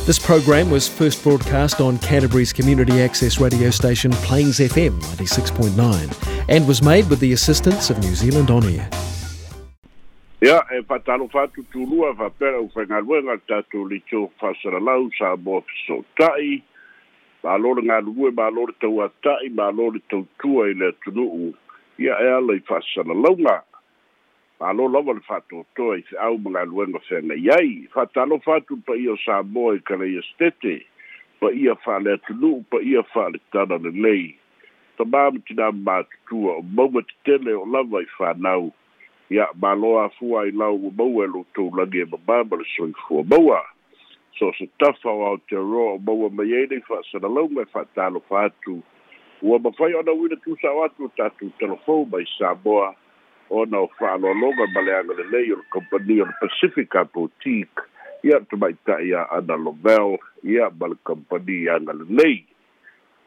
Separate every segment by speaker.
Speaker 1: This program was first broadcast on Canterbury's community access radio station Plains FM 96.9 and was made with the assistance of New Zealand On Air.
Speaker 2: Ia, e faatalofa atu tulua faapea le aufaigaluega le tatou leitio faasalalau Samoa Fesootai. Malo le galulue, malo le tauata'i, malo le tautua i le atunuu, ia e ala i faasalalauga. Malo lava le faatoatoa i feau ma galuega feagai ai. Faatalofa atu le paia o Samoa i Kalaia Setete, paia faale-atunuu, paia faale-tala lelei. Tamā ma tinā matutua o mauga tetele o lava i fanau. Ia, malo afua ai lau ua maua e lo outou lagi e mamā ma le soifua maua. So se tafa o Aotearoa o maua mai ai nei faasalalauga e faatalofa atu. Ua mafai ona uina tusao atu o tatou talafou mai Samoa ona o faaaloaloga ma le agalelei o le kamupani o le Pacifica Boutique, ia tamaitai ia Ana Lovell, ia ma le kamupani agalelei.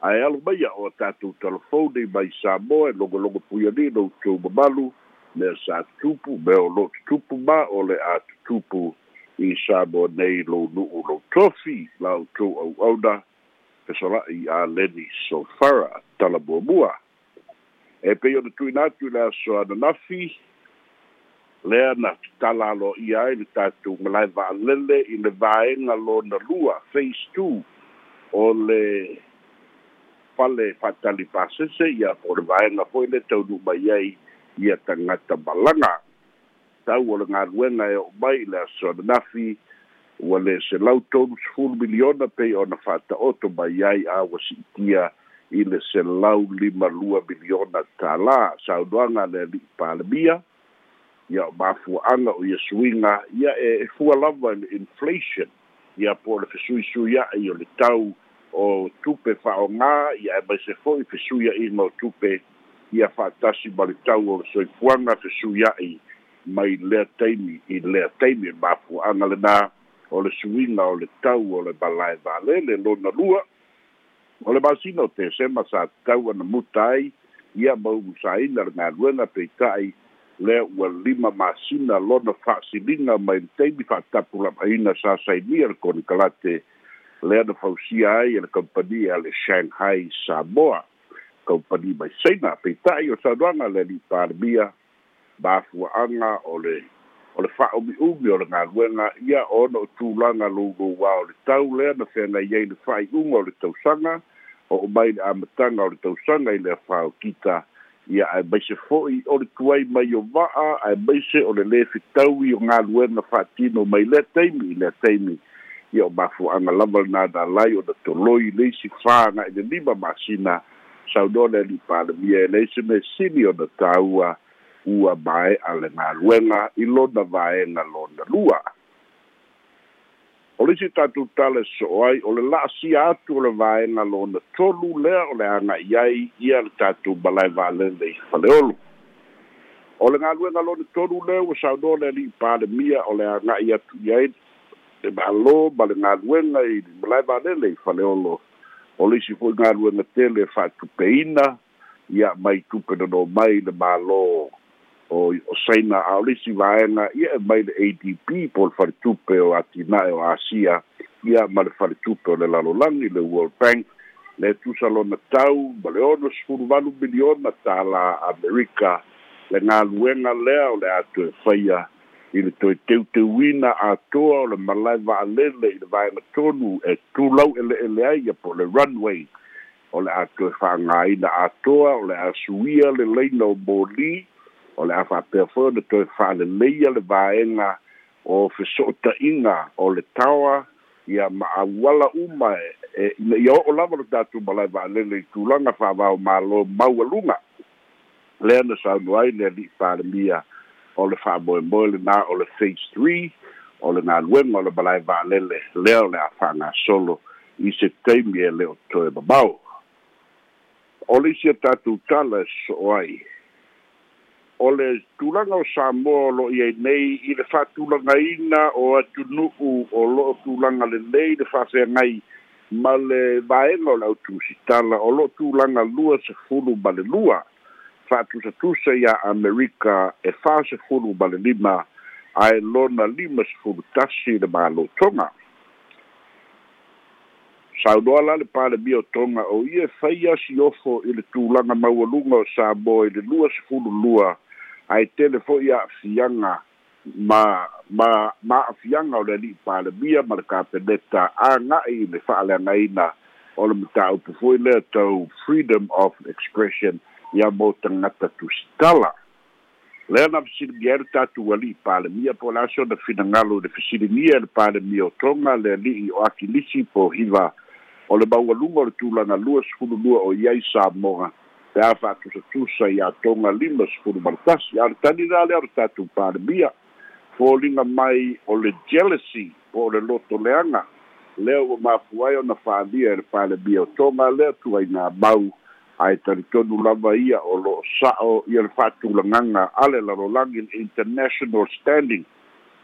Speaker 2: Ae alo maia o tatou talafou nei mai Samoa e logologo puialii lo outou mamalu, mea sa tutupu, mea o loo tutupu ma o le a tutupu i Samoa nei lou nuu lou tofi la outou auauna fesola'i a Leni Sofara tala muamua. E pei ona tuuina atu i le aso ananafi, lea na tatala aloaia ai le tatou malae vaalele i le vaega lona lua, phase 2, o le fale faatali pasese, ia po o le vaega foi le taunuu mai ai ia tagata malaga. Tau o le galuega e oo mai i le aso ananafi ua le $130 miliona pei ona faataoto mai ai, a ua siitia i le $152 miliona. Saunoaga a le alii Palemia, ia o mafuaaga o ia suiga, ia e fua lava i le inflation, ia po o le fesuisuia'i o le tau o tupe faaaogā, ia aemaise foi fesuia'iga o tupe ia faatasi ma le tau o le soifuaga fesuia'i mai lea taimi i lea taimi. Mafuaaga lenā o le suiga o le tau o le malae vaalele. Lona lua, o le masina o Tesema sa tatau ona muta ai ia ma umusaina le galuega, peita'i lea ua 5 masina lona faasiliga mai le taimi faatapulaaina sa sainia le konekarate lea na fausia ai e le kampani a le Shanghai Samoa, kampani mai Saina. Peita'i o saunoaga le alii Palemia, mafuaaga o le faaumiumi o le galuega, ia ona o tulaga loulouā o le tau lea na feagai ai le faaiuga o le tausaga oo mai le amataga o le tausaga i le afa o Kita, ia aemaise foi o le tuai mai o vaa, aemaise o le lē fetaui o galuega faatino mai lea taimi i lea taimi. Ia o mafuaaga lava lenā na alai ona toloi le isi 4 agai le 5 masina. Saunoa le alii Palemia e leai se mea sili ona taua ua mae'a le galuega i lona vaega lona lua. O le isi tatou tala e soo ai o le laasia atu o le vaega lona tolu lea o le aga'i ai ia le tatou malae vaalele i Faleolo. O le galuega lona tolu lea ua saunoa le alii Palemia o le aga'i atu i ai le Malo ma le galuega i le malae vaalele i Faleolo, o le isi foi galuega tele e faatupeina ia mai tupe nono mai le Malo o Saina, a o le isi vaega ia e mai le ADB po o le Faletupe o Atinae o Asia, ia ma le Faletupe o le Lalolagi, le World Bank. Le tusa lona tau ma le $68 miliona Amerika le galuega lea o le a toe faia i le toe teuteuina atoa o le malae vaalele i le vaega tonu e tulau eleele ai, ia po o le runway o le a toe faagaina atoa, o le a suia le laina o moli, o le a faapea foi ona toe faaleleia le vaega o fesoota'iga o le taoa, ia ma auala uma e ina ia oo lava lo tatou malae vaalele i tulaga faavao malo maualuga. Lea na saunoa ai le alii Palemia o le faamoemoe lenā o le phase 3 o le galuega o le malae vaalele lea o le a faagasolo i se taimi e le o toe mamao. O le isi a tatou tala e sosoo ai o le tulaga o Samoa o loo iai nei i le faatulagaina o atunuu o loo tulaga lelei le faafeagai ma le vaega o le autusitala, o loo tulaga 22 faatusatusa iā Amerika e 45, ae lona 51 le Malo Toga. Saunoa la le Palemia o Toga o ia e faia siofo i le tulaga maualuga o Samoa i le 22, ae tele fo'i a'afiaga ma a'afiaga o le ali'i Palemia ma le Kapeneta aga'i i le fa'aleagaina o le mataupu foi lea tau freedom of expression ia mo tagata tusitala. Lea na fesiligia ai le tatou ali'i Palemia po o le aso na finagalo i le fesiligia e le Palemia o Toga le ali'i o Akilisi Pohiva o le maualuga o le tulaga 22 o i ai Samoa pe a fa'atusatusa iā Toga 51. A o le tali la lea o le tatou Palemia, foliga mai o le jealousy po o le loto leaga lea ua mafua ai ona fa'alia e le Palemia o Toga lea tuaiga mau, ae talitonu lava ia o lo'o sa'o ia le fa'atulagaga a le lalolagi, le international standing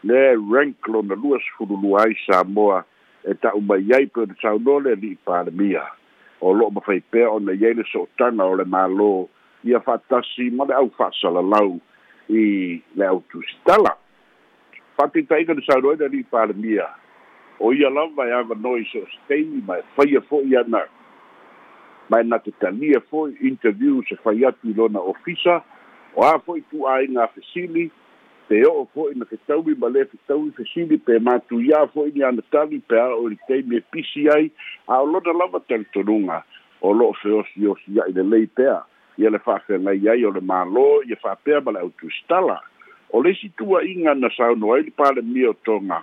Speaker 2: lea rank lona 22 ai Samoa e ta'u mai ai pe ona saunoa le ali'i Palemia o lo'o mafai pea ona i ai le sootaga o le Mālō ia fa'atasi ma le au fa'asalalau i le au tusitala. Fa'ataitaiga, na saunoa ai le ali'i Palemia o ia lava e avanoa i so o se taimi ma e faia fo'i ana ma e na te talia fo'i interview se fai atu i lona ofisa o a fo'i tu'aiga fesili pe oo fo'i na fetaui ma lē fetaui fesili pe matuiā fo'i ni ana tali pe a o i le taimi e pisi ai, a o lona lava talitonuga o lo'o feosiosia'i lelei pea ia le fa'afeagai ai o le Mālō ia fa'apea ma le autusitala. O le isi tua'iga na saunoa ai le Palemia o Toga,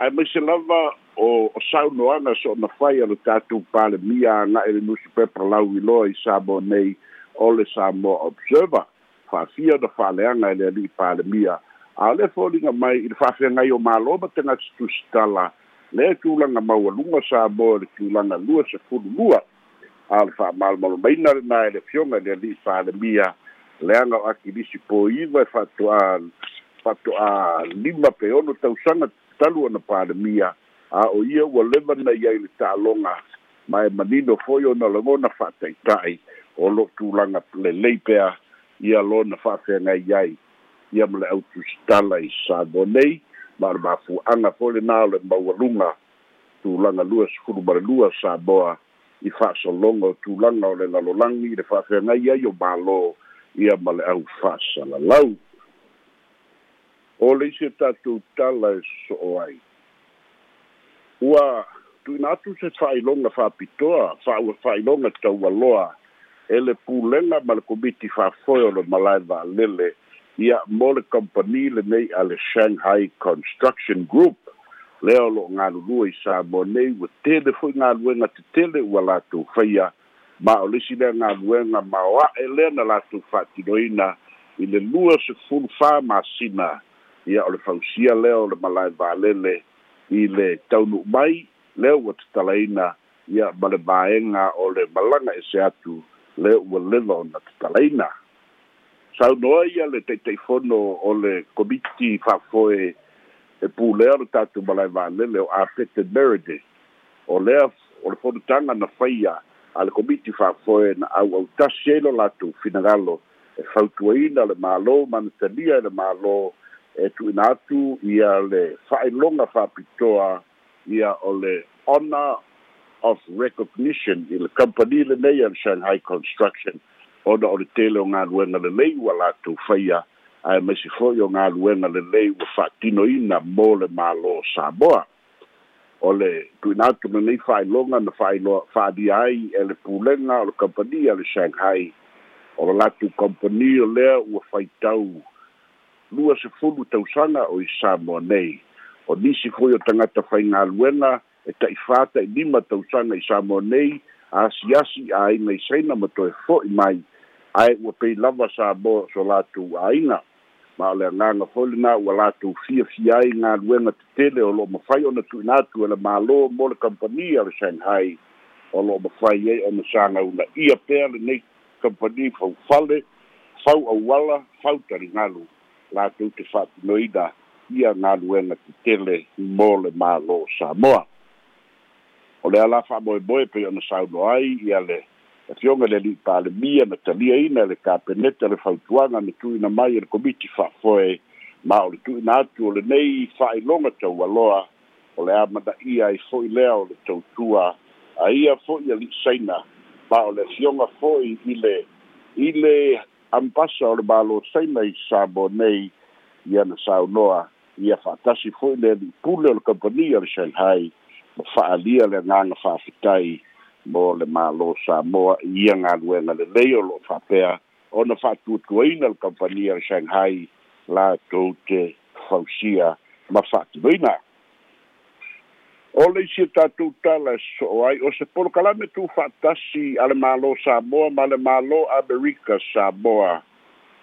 Speaker 2: aemaise lava o saunoaga soona fai a le tatou Palemia aga'i le nusipepa lauiloa i Samoa nei o le Samoa Observer, fa'afia ona fa'aleaga e le ali'i Palemia, a o le foliga mai i le fa'afeagai o Mālō ma tagata tusitala lea tulaga maualuga Samoa i le tulaga 22. A o le fa'amalamalamaina lenā e le afioga i le ali'i Palemia, leaga o Akilisi Poiva e fa'ato'a 5 pe 6 tausaga talu ona Palemia, a o ia ua leva na i ai le ta'aloga ma e manino foi ona lagona fa'ataita'i o lo'o tulaga lelei pea ia lona fa'afeagai ai ia ma le autusitala i Samoa nei, ma o le mafua'aga foi lenā o le maualuga tulaga 22 Samoa i fa'asologa o tulaga o le lalolagi i le fa'afeagai ai o Mālō ia ma le au fa'asalalau. O le isi o tatou tala e so'o ai, ua tu'uina atu se fa'ailoga fa'apitoa fa'aua fa'ailoga taualoa e le pulega ma le komiti fa'afoe o le malae va'alele ia mo le kamupani lenei a le Shanghai Construction Group lea o lo'o galulua i Samoa nei. Ua tele fo'i galuega tetele ua latou faia, ma o le isi lea galuega maoa'e lea na latou fa'atinoina i le 24 masina ia o le fausia lea o le malae va'alele i le taunu'u mai lea ua tatalaina ia ma le vaega o le malaga ese atu lea ua leva ona tatalaina. Saunoa ia le Taitaifono o le komiti fa'afoe e pulea o le tatou malae va'alele o Apete Meredith, o lea o le fonotaga na faia a le komiti fa'afoe na au'autasi ai lo latou finagalo e fautuaina le Mālō ma na talia e le Mālō e tu'uina atu ia le fa'ailoga fa'apitoa ia o le honor of recognition i le kamupani lenei a le Shanghai Construction, ona o le tele o galuega lelei ua latou faia aemaise fo'i o galuega lelei ua fa'atinoina mo le Mālō Samoa. O le tu'uina atu lenei fa'ailoga na fa'ailoa fa'alia ai e le pulega o le kamupani a le Shanghai, o le latou kamupani o lea ua faitau 20 tausaga o i Samoa nei. O nisi foi o tagata faigaluega e ta'i 4 ta'i 5 tausaga i Samoa nei, asiasi aiga i Saina ma toe fo'i mai, ae ua pei lava Samoa so latou aiga, ma o le agaga foi lenā ua latou fiafia ai galuega tetele o lo'o mafai ona tu'uina atu e le Mālō mo le kamupani a le Shanghai, o lo'o mafai ai ona sagauna'ia pea lenei kamupani faufale, fau auala, fau taligalu latou te fa'atinoina ia galuega tetele mo le Mālō Samoa. O le ala fa'amoemoe pei ona saunoa ai ia le afioga le ali'i Palemia, na taliaina e le Kapeneta le fautuaga na tu'uina mai e le komiti fa'afoe, ma o le tu'uina atu o lenei fa'ailoga taualoa o le amana'ia ai fo'i lea o le tautua A ia fo'i ali'i Saina ma o le afioga fo'i i le ambasa o le Malo Saina i Samoa nei, ia na saunoa ia faatasi fo'i le ali'i pule o le kamupani o le Shanghai ma fa'aalia le agaga fa'afetai mo le Malo Samoa i ia galuega lelei o lo'o fa'apea ona fa'atuatuaina le kamupani a le Shanghai latou te fausia ma fa'atinoina. O le isi tatou tala e so'o ai, o se polokalame tu'ufa'atasi a le Malo Samoa ma le Malo Amerika Samoa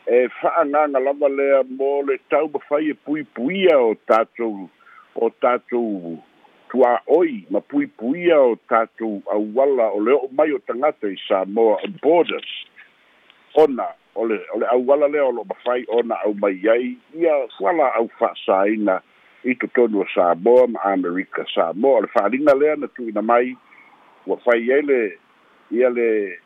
Speaker 2: e fa'agaga lava lea mo le taumafai e puipuia o tatou tuā'oi ma puipuia o tatou auala o le o'o mai o tagata i Samoa, borders, ona o le auala lea o lo'o mafai ona aumai ai ia fualaau fa'asāina i totonu o Samoa ma Amerika Samoa. O le fa'aliga lea na tu'uina mai ua fai ai le ia le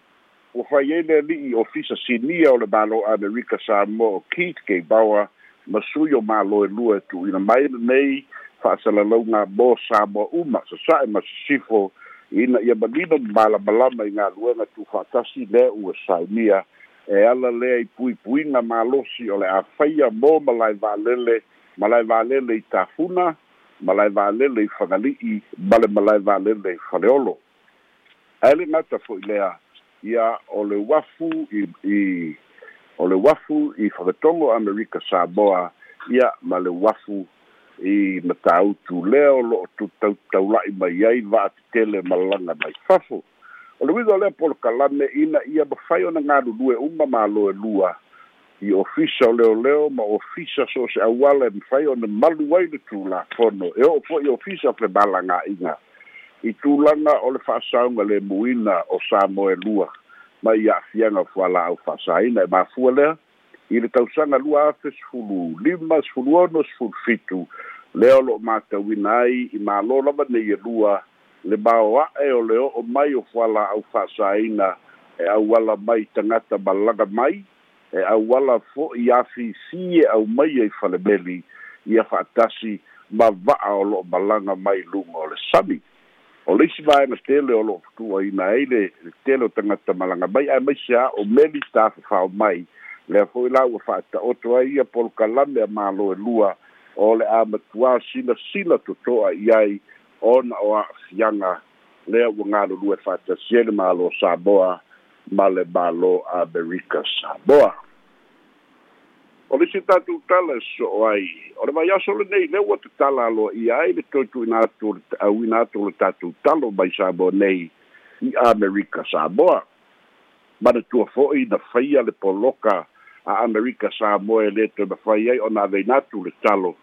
Speaker 2: ua fai ai le ali'i ofisa sinia o le Malo Amerika Samoa o Keith K Bower ma sui o malo e lua e tu'uina mai lenei fa'asalalauga mo Samoa uma sasa'e ma sisifo ina ia manino ma malamalama i galuega tu'ufaatasi lea ua saunia e ala lea i puipuiga malosi o le a faia mo malae vaalele, malae vaalele i Tafuna, malae vaalele i Fagali'i ma le malae vaalele i Faleolo. Ae le gata fo'i lea, ia o le uafu i o le uafu i Fagatogo Amerika Samoa, ia ma le uafu i Matautu lea o lo'o taula'i mai ai vaatetele malaga mai fafo. O le uiga o lea polokalame ina ia mafai ona galulue uma malo e lua i ofisa o leoleo ma ofisa so o se auala e mafai ona malu ai le tulafono e oo fo'i ofisa o femalaga'iga i tulaga o le fa'asauga lemuina o Samoa e lua mai a'afiaga o fuala'au fa'asaina. E mafua lea i le tausaga 2015, 16, 17 lea o lo'o matauina ai i malo lava nei e lua le maoa'e o le o'o mai o fuala'au fa'asaina e auala mai tagata malaga mai, e auala fo'i afifī e aumaia i falemeli ia fa'atasi ma va'a o lo'o malaga mai luga o le sami. O le isi vaega tele o lo'o fetu'uaina ai le tele o tagata malaga mai ae maise a o meli tafafao mai, lea fo'i la ua fa'ata'oto ai ia polokalame a malo e lua o le a matuā silasila toto'a i ai ona o a'afiaga lea ua galulue fa'atasi ai le Malo Samoa ma le Malo Amerika Samoa. O le isi tatou tala e so'o ai, o le vaiaso lenei lea ua tatala aloa'ia ai le toe tu'uina atu o le auina atu o le tatou talo mai Samoa nei i Amerika Samoa. Manatua fo'i na faia le poloka a Amerika Samoa e lē toe mafai ai ona aveina atu le talo,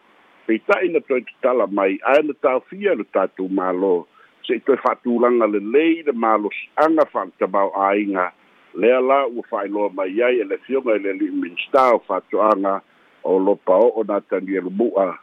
Speaker 2: peita'i na toe tatala mai ae na taofia le tatou Malo se'i toe fa'atulaga lelei le malosi'aga fa'aletamāo'aiga. Lea la ua fa'ailoa mai ai e le afioga i le ali'i Minista o Fa'ato'aga o Lopao'o Natanielu Mu'a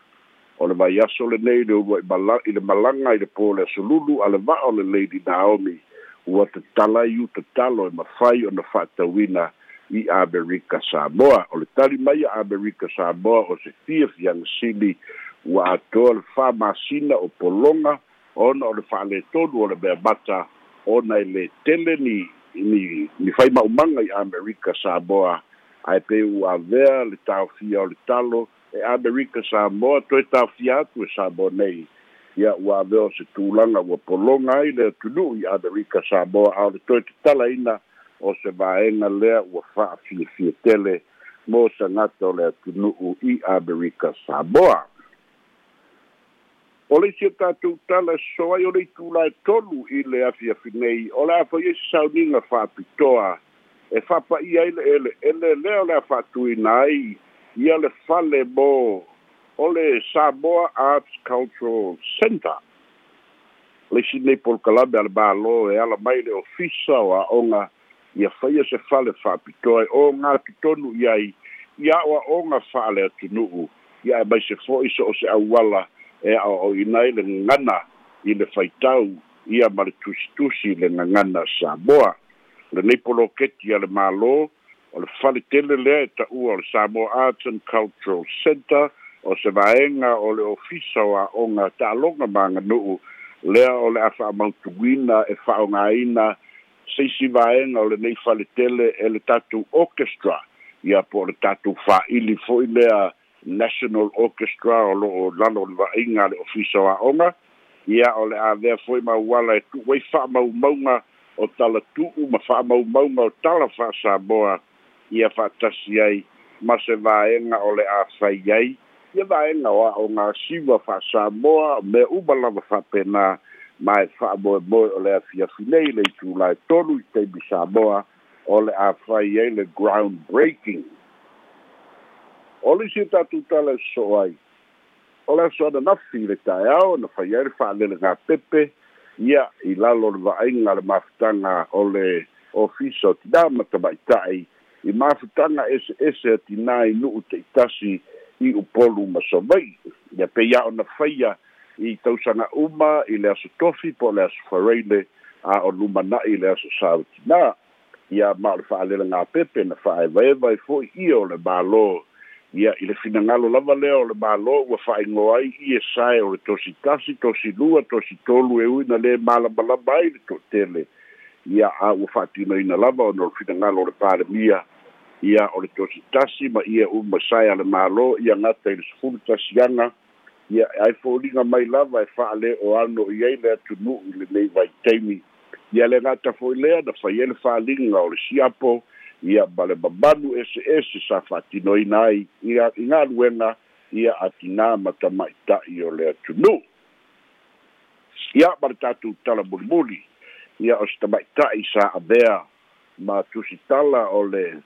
Speaker 2: o le vaiaso lenei le ulua'i i le malaga i le pō le asolulu a le va'a o le Lady Naomi ua tatala ai uta talo e mafai ona fa'atauina i Amerika Samoa. O le tali mai a Amerika Samoa o se fiafiaga sili ua atoa le 4 masina o pologa ona o le fa'aletonu o le mea mata ona e lē tele ni faima'umaga i Amerika Samoa, ae pei ua avea le taofia o le talo e Amerika Samoa toe taofia atu e Samoa nei, ia ua avea o se tulaga ua pologa ai le atunu'u i Amerika Samoa, a o le toe tatalaina o se vaega lea ua fa'afiafia tele mo tagata o le atunu'u i Amerika Samoa. O le isi o tatou tala so ai, o le itula e 3 i le afiafi nei o le a fai ai se sauniga fa'apitoa e fa'apa'ia ai le ele'ele lea o le a fa'atuina ai ia le fale mo o le Samoa Arts Cultural Center, le isi nei polokalame a le Malo e ala mai le ofisa o a'oga ia faia se fale fa'apitoa e o gatotonu i ai ia a'oa'oga fa'ale atunu'u, ia e maise fo'i so o se auala e a'oa'oina ai le gagana i le faitau ia ma le tusitusi le gagana Samoa. Lenei poloketi a le Malo o le fale tele lea e ta'ua o le Samoa Arts and Cultural Center o se vaega o le ofisa o a'oga taaloga ma aganu'u Lea o le a fa'amautuina e fa'aogāina se isi vaega o lenei faletele e le tatou orchestra, ia po o le tatou fa'ili fo'i lea National Orchestra o lo'o lalo o le vaaiga a le Ofisa o Aoga. Ia o le avea foi ma auala e tu'u ai fa'amaumauga o talatu'u ma fa'amaumauga o tala fa'asamoa, ia fa'atasi ai ma se vaega o le a fai ai ia vaega o a'oga siva fa'asamoa, mea uma lava fa'apena. Ma e fa'amoemoe o le afiafi nei le itulā e 3 i taimi Samoa o le a fai ai le ground breaking. O le isi tatou tala e sosoo ai, o le aso ananafi i le taeao na fai ai le fa'alelegapepe, ia i lalo o le vaaiga le mafutaga o le Ofisa o Tinā ma Tamaita'i i mafutaga eseese a tinā i nu'u ta'itasi i Upolu ma Savai'i, ia pei a ona faia i tausaga uma i le aso Tofi po o le aso Faraile a o lumana'i le aso Sa o Tinā. Ia ma o le fa'alelegapepe na fa'aevaeva ai fo'i ia o le Mālō, ia i le finagalo lava lea o le Mālō ua fa'aigoa ai ie sae o le tosi 1, tosi 2, tosi 3, e ui na lē malamalama ai le to'atele, ia a ua fa'atinoina lava ona o le finagalo o le Palemia. Ia o le tosi 1 ma ia uma sae a le Mālō ia gata i le 11 aga, ia ai foliga mai lava e fa'alē ano i ai le atunu'u i lenei vaitaimi. Ia le gata fo'i lea na fai ai le fa'aliga o le siapo, ia ma le mamanu eseese sa fa'atinoina ai i galuega ia a tinā ma tamaita'i o le atunuu. Ia ma le tatou tala mulimuli, ia o se tamaita'i sa avea ma tusitala o le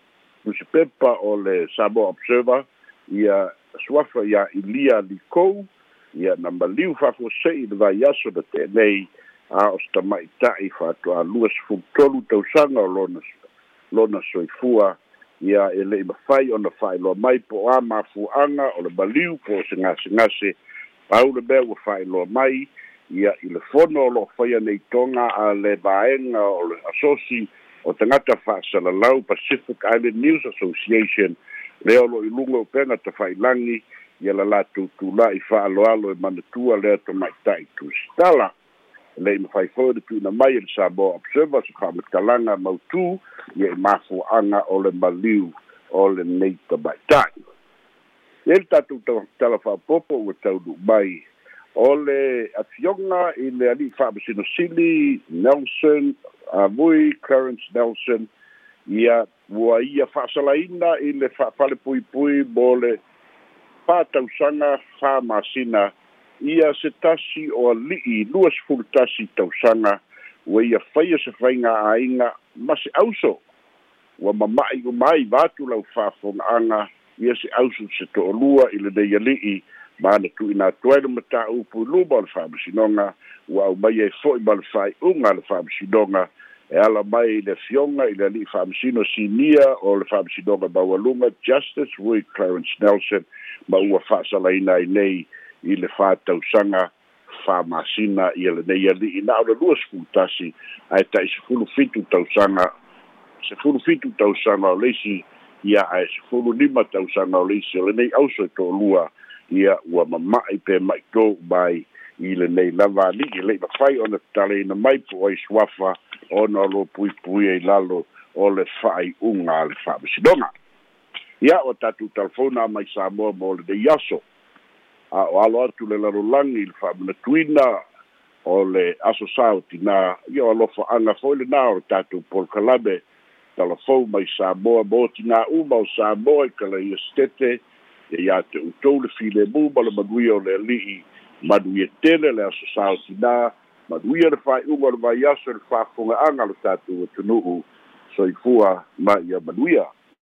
Speaker 2: nusipepa o le Samoa Observer, ia suafa ia Ilia Likou, ia na maliu fa'afuase'i le vaiaso na te'enei, a o se tamaita'i fa'atoa 23 tausaga o lona soifua. Ia e le'i mafai ona fa'ailoa mai po o a mafua'aga o le maliu po o se gasegase. Pau le mea ua fa'ailoa mai, ia i le fono o lo'o faia nei toga a le vaega o le asosi o tagata fa'asalalau, Pacific Island News Association, lea o lo'o i luga o upega tafa'ilagi, ia la latou tula'i fa'aloalo e manatua lea tamaita'i tusitala. Le'i mafai foi le tu'uina mai e le Samoa Observer se fa'amatalaga mautū ia i mafua'aga o le maliu o lenei tamaita'i. Ia le tatou tala fa'apopo ua taunuu mai o le afioga i le ali'i fa'amasinosili Nelson Avui Clarence Nelson, ia ua ia fa'asalaina i le fa'afalepuipui mo le 4 tausaga 4 masina, ia se tasi o ali'i 21 tausaga ua ia faia se faiga aiga ma se auso ua mama'i uma ai vaatu lau faafoga'aga, ia se auso se to'alua i lenei ali'i, ma na tu'uina atu ai le mataupu i luma o le fa'amasinoga, ua aumai ai fo'i ma le fa'ai'uga a le fa'amasinoga e ala mai i le afioga i le ali'i fa'amasino sinia o le Fa'amasinoga Maualuga, Justice Rui Clarence Nelson, ma ua fa'asalaina ai nei i le 4 tausaga 4 masina ia lenei ali'i na o le 21 ae ta'i 17 tausaga, 17 tausaga o le isi, ia ae 15 tausaga o le isi o lenei auso e to'alua, ia ua mama'i pe ma'itō mai i lenei lava ali'i. Le'i mafai ona tatalaina mai po ai suafa ona o lo puipui ai lalo o le fa'ai'uga a le fa'amasinoga. Ia ua tatou talafona mai Samoa mo lenei aso, a o alo atu le lalolagi i le fa'amanatuina o le aso sa o tinā, ia o alofa'aga foi lenā o le tatou polokalame talafou mai Samoa mo tinā uma o Samoa i kalaia setete. Ia iā te outou le filemu ma le manuia o le Ali'i. Manuia tele le aso sa o tinā, manuia le fa'ai'uga o le vaiaso i le faafoga'aga o le tatou atunu'u. Soifua ma ia manuia.